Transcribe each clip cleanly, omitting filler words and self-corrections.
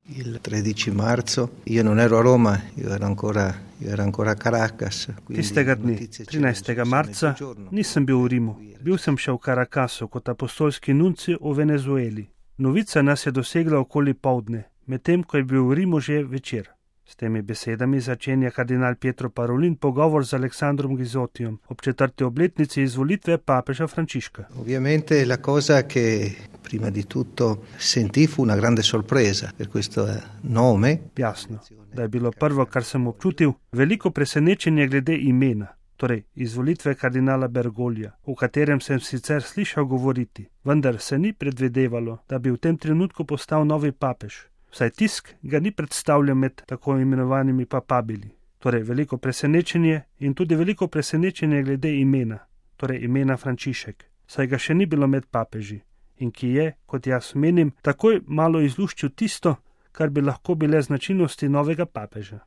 Il 13 marzo io non ero a Roma, io ero ancora a Caracas. Tistega dne, 13. marca, nisem bil v Rimu. Bil sem še v Caracasu kot apostolski nunci v Venezueli. Novica nas je dosegla okoli poldne, medtem ko je bil v Rimu že večer. S temi besedami začenja kardinal Pietro Parolin pogovor z Aleksandrom Gizotijom ob 4. obletnici izvolitve papeža Frančiška. Ovviamente la cosa che prima di tutto sentì fu una grande sorpresa per questo nome. Jasno, da je bilo prvo, kar sem občutil, veliko presenečenje glede imena, torej izvolitve kardinala Bergoglija, o katerem sem sicer slišal govoriti, vendar se ni predvidevalo, da bi v tem trenutku postal novi papež. Vsaj tisk ga ni predstavljal med tako imenovanimi papabili. Torej veliko presenečenje in tudi veliko presenečenje glede imena, torej imena Frančišek, saj ga še ni bilo med papeži in ki je, kot jaz menim, takoj malo izluščil tisto, kar bi lahko bile značilnosti novega papeža.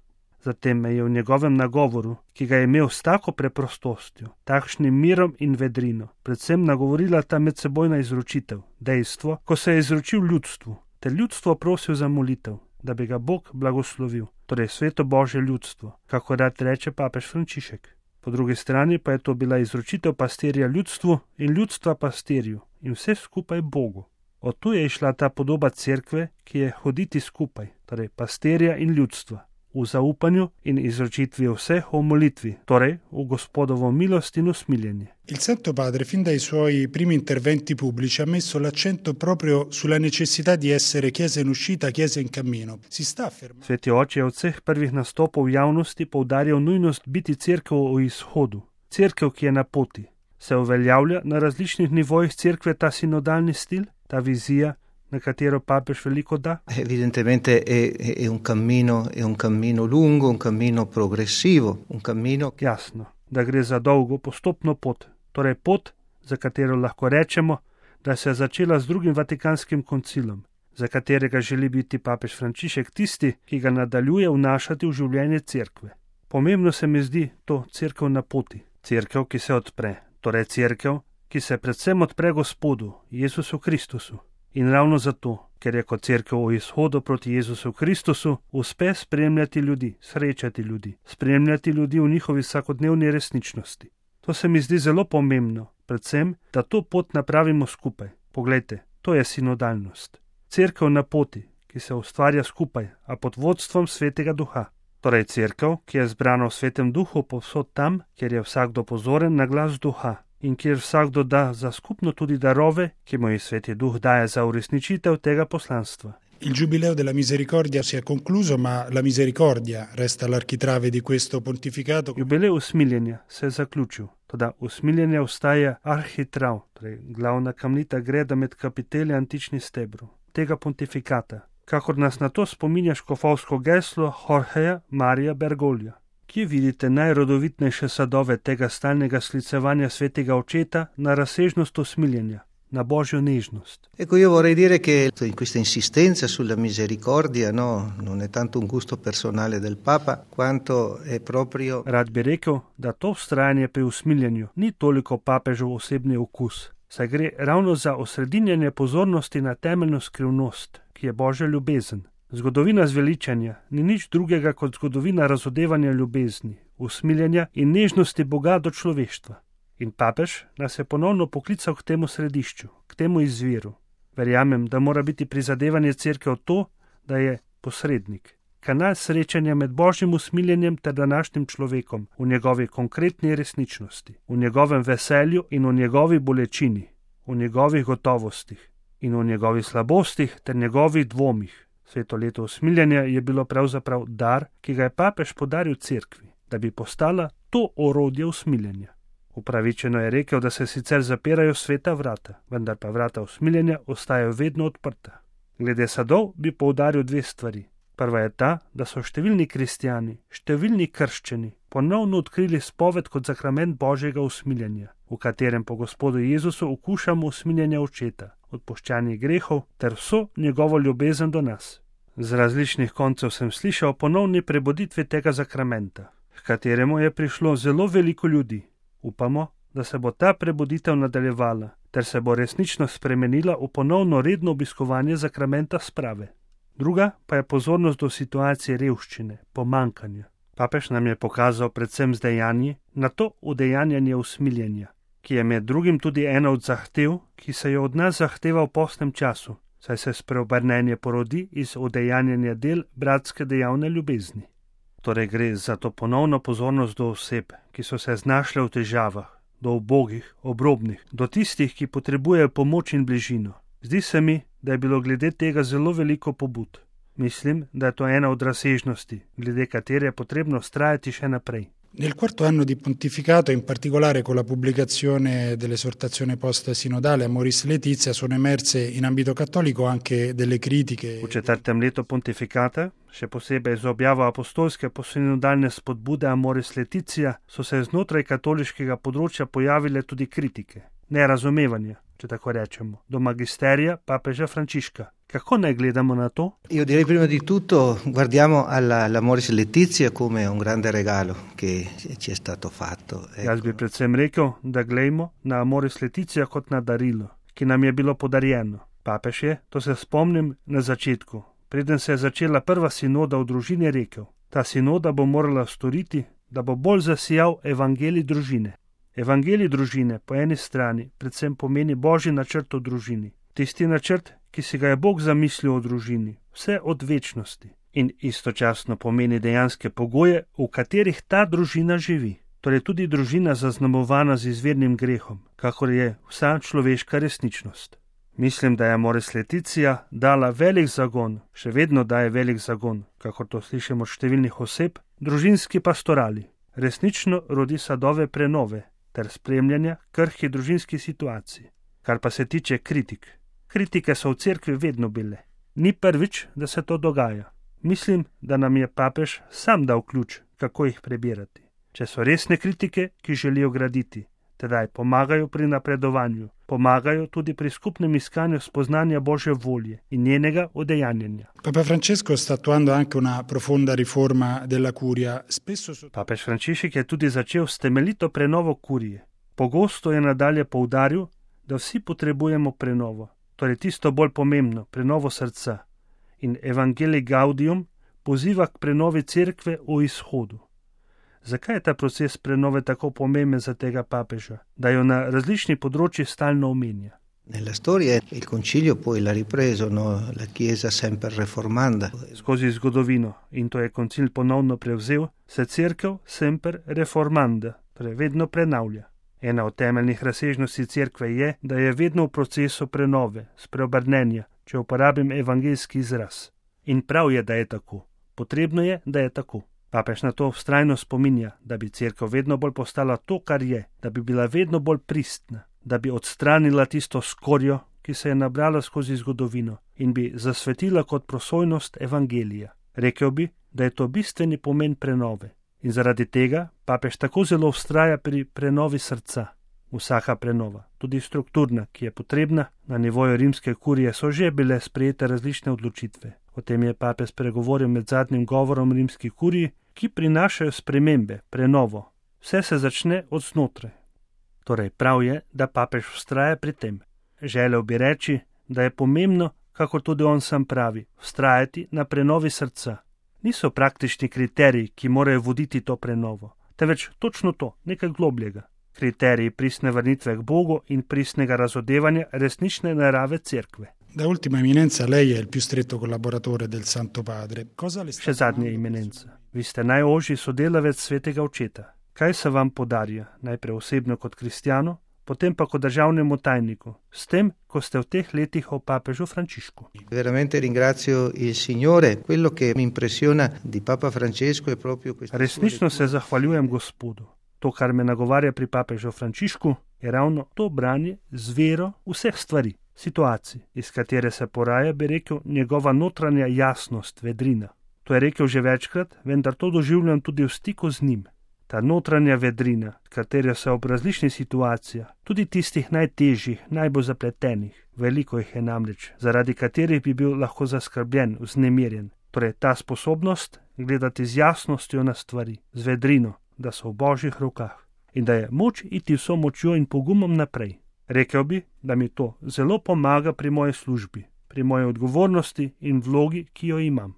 Zatem me je v njegovem nagovoru, ki ga je imel s tako preprostostjo, takšnim mirom in vedrino, predvsem nagovorila ta medsebojna izročitev, dejstvo, ko se je izročil ljudstvu, ter ljudstvo prosil za molitev, da bi ga Bog blagoslovil, torej sveto Božje ljudstvo, kako rad reče papež Frančišek. Po drugi strani pa je to bila izročitev pastirja ljudstvu in ljudstva pastirju in vse skupaj Bogu. Od tu je išla ta podoba cerkve, ki je hoditi skupaj, torej pastirja in ljudstva, v zaupanju in izročitvi vseh o molitvi, torej v Gospodovo milost in usmiljenje. Il Santo Padre fin dai suoi primi interventi pubblici ha messo l'accento proprio sulla necessità di essere chiesa in uscita, chiesa in cammino. Si sta affermando. Sveti oče je od vseh prvih nastopov v javnosti poudarjal nujnost biti cerkev v izhodu, cerkev, ki je na poti. Se uveljavlja na različnih nivojih cerkve ta sinodalni stil, ta vizija, na katero papež veliko da? Evidentemente è un cammino lungo, un cammino progressivo, un cammino... Jasno, da gre za dolgo, postopno pot, torej pot, za katero lahko rečemo, da se je začela z drugim Vatikanskim koncilom, za katerega želi biti papež Frančišek tisti, ki ga nadaljuje vnašati v življenje cerkve. Pomembno se mi zdi to cerkev na poti, cerkev, ki se odpre, torej cerkev, ki se predvsem odpre Gospodu, Jezusu Kristusu. In ravno zato, ker je kot cerkev v izhodu proti Jezusu Kristusu, uspe spremljati ljudi, srečati ljudi, spremljati ljudi v njihovi vsakodnevni resničnosti. To se mi zdi zelo pomembno, predvsem, da to pot napravimo skupaj. Poglejte, to je sinodalnost. Cerkev na poti, ki se ustvarja skupaj, a pod vodstvom Svetega Duha. Torej cerkev, ki je zbrana v Svetem Duhu povsod tam, kjer je vsakdo pozoren na glas Duha. In kjer vsakdo da za skupno tudi darove, ki mu jih Sveti Duh daje za uresničitev tega poslanstva. Il Giubileo della Misericordia si è concluso, ma la misericordia resta l'architrave di questo pontificato. Jubilej usmiljenja se je zaključil, toda usmiljenje ostaja arhitrav, torej glavna kamnita greda med kapitelji antičnih stebrov tega pontifikata, kakor nas na to spominja škofovsko geslo Jorgeja Marija Bergoglija. Kje vidite najrodovitnejše sadove tega stalnega sklicevanja svetega očeta na razsežnost usmiljenja, na Božjo nežnost? Ecco, io vorrei dire che in questa insistenza sulla misericordia, no, non è tanto un gusto personale del Papa, quanto è proprio... Rad bi rekel, da to vztrajanje pri usmiljenju ni toliko papežov osebni okus, saj gre ravno za osredinjanje pozornosti na temeljno skrivnost, ki je Božja ljubezen. Zgodovina zveličanja ni nič drugega kot zgodovina razodevanja ljubezni, usmiljenja in nežnosti Boga do človeštva. In papež nas je ponovno poklical k temu središču, k temu izviru. Verjamem, da mora biti prizadevanje cerkev to, da je posrednik, kanal srečanja med Božjim usmiljenjem ter današnjim človekom v njegovi konkretni resničnosti, v njegovem veselju in v njegovi bolečini, v njegovih gotovostih in v njegovih slabostih ter njegovih dvomih. Sveto leto usmiljenja je bilo pravzaprav dar, ki ga je papež podaril cerkvi, da bi postala to orodje usmiljenja. Upravičeno je rekel, da se sicer zapirajo sveta vrata, vendar pa vrata usmiljenja ostajajo vedno odprta. Glede sadov bi poudaril dve stvari. Prva je ta, da so številni kristjani, številni krščeni ponovno odkrili spoved kot sakrament Božjega usmiljenja, v katerem po Gospodu Jezusu okušamo usmiljenja očeta, odpuščanje grehov ter vso njegovo ljubezen do nas. Z različnih koncev sem slišal ponovni prebuditvi tega sakramenta, h kateremu je prišlo zelo veliko ljudi. Upamo, da se bo ta prebuditev nadaljevala, ter se bo resnično spremenila v ponovno redno obiskovanje sakramenta sprave. Druga pa je pozornost do situacije revščine, pomankanja. Papež nam je pokazal predvsem z dejanji na to udejanjanje usmiljenja, ki je med drugim tudi ena od zahtev, ki se jo od nas zahteva v postnem času, saj se spreobrnenje porodi iz udejanjanja del bratske dejavne ljubezni. Torej gre za to ponovno pozornost do oseb, ki so se znašle v težavah, do ubogih, obrobnih, do tistih, ki potrebujejo pomoč in bližino. Zdi se mi, da je bilo glede tega zelo veliko pobud. Mislim, da je to ena od razsežnosti, glede katere je potrebno vztrajati še naprej. Nel quarto anno di pontificato, in particolare con la pubblicazione dell'esortazione post-sinodale Amoris Laetitia, sono emerse in ambito cattolico anche delle critiche. V četrtem letu pontifikata, še posebej z objavo apostolske posinodalne spodbude Amoris Laetitia, so se znotraj katoliškega področja pojavile tudi kritike, nerazumevanja, če tako rečemo, do magisterija papeža Frančiška. Kako naj gledamo na to? Io direi prima di tutto guardiamo all'Amoris Laetitia come un grande regalo che ci è stato fatto. Ecco. Jaz bi predvsem rekel, da glejmo na Amoris Laetitia kot na darilo, ki nam je bilo podarjeno. Papež je, to se spomnim, na začetku, preden se je začela prva sinoda v družini, rekel, ta sinoda bo morala storiti, da bo bolj zasijal evangelij družine. Evangelij družine po eni strani predvsem pomeni božji načrt o družini. Tisti načrt, ki si ga je Bog zamislil o družini, vse od večnosti, in istočasno pomeni dejanske pogoje, v katerih ta družina živi. Torej tudi družina zaznamovana z izvirnim grehom, kakor je vsa človeška resničnost. Mislim, da je Amoris Laetitia dala velik zagon, še vedno daje velik zagon, kakor to slišimo od številnih oseb, družinski pastorali. Resnično rodi sadove prenove ter spremljanja krhkih družinskih situacij. Kar pa se tiče kritik. Kritike so v cerkvi vedno bile. Ni prvič, da se to dogaja. Mislim, da nam je papež sam dal ključ, kako jih prebirati. Če so resne kritike, ki želijo graditi, tedaj pomagajo pri napredovanju, pomagajo tudi pri skupnem iskanju spoznanja Božje volje in njenega udejanjanja. Papa Francesco sta attuando anche una profonda riforma della curia. Papež Frančišek je tudi začel s temeljito prenovo kurije. Pogosto je nadalje poudaril, da vsi potrebujemo prenovo, torej tisto bolj pomembno, prenovo srca. In Evangelii Gaudium poziva k prenovi cerkve v izhodu. Zakaj je ta proces prenove tako pomemben za tega papeža, da jo na različnih področjih stalno omenja? Nella storia il concilio poi l'ha ripreso, no? La Chiesa sempre reformanda. Skozi zgodovino, in to je koncil ponovno prevzel, se cerkev sempre reformanda, torej vedno prenavlja. Ena od temeljnih razsežnosti cerkve je, da je vedno v procesu prenove, spreobrnenja, če uporabim evangeljski izraz. In prav je, da je tako. Potrebno je, da je tako. Papež na to vztrajno spominja, da bi cerkev vedno bolj postala to, kar je, da bi bila vedno bolj pristna, da bi odstranila tisto skorjo, ki se je nabrala skozi zgodovino in bi zasvetila kot prosojnost evangelija. Rekel bi, da je to bistveni pomen prenove. In zaradi tega papež tako zelo vztraja pri prenovi srca. Vsaka prenova, tudi strukturna, ki je potrebna, na nivoju rimske kurije so že bile sprejete različne odločitve. O tem je papež spregovoril med zadnjim govorom rimski kuriji, ki prinašajo spremembe, prenovo. Vse se začne od znotraj. Torej prav je, da papež vztraja pri tem. Želel bi reči, da je pomembno, kako tudi on sam pravi, vztrajati na prenovi srca. Niso praktični kriteriji, ki morajo voditi to prenovo, temveč točno to, nekaj globljega. Kriteriji pristne vrnitve k Bogu in pristnega razodevanja resnične narave cerkve. Da ultima eminenza, lei è il più stretto collaboratore del Santo Padre. Še zadnja eminenca. Vi ste najožji sodelavec svetega očeta. Kaj se vam podarja, najprej osebno kot kristjanu, potem pa kot državnemu tajniku, s tem, ko ste v teh letih o papežu Frančišku? Veramente ringrazio il Signore. Quello che mi impressiona di Papa Francesco è proprio questo. Resnično se zahvaljujem Gospodu. To, kar me nagovarja pri papežu Frančišku, je ravno to branje z vero vseh stvari, situacij, iz katere se poraja, bi rekel, njegova notranja jasnost, vedrina. To je rekel že večkrat, vendar to doživljam tudi v stiku z njim. Ta notranja vedrina, katera se ob različnih situacijah, tudi tistih najtežjih, najbolj zapletenih, veliko jih je namreč, zaradi katerih bi bil lahko zaskrbljen, vznemirjen. Torej ta sposobnost gledati z jasnostjo na stvari, z vedrino, da so v Božjih rokah in da je moč iti vso močjo in pogumom naprej. Rekel bi, da mi to zelo pomaga pri moji službi. pri moji odgovornosti in vlogi, ki jo imam.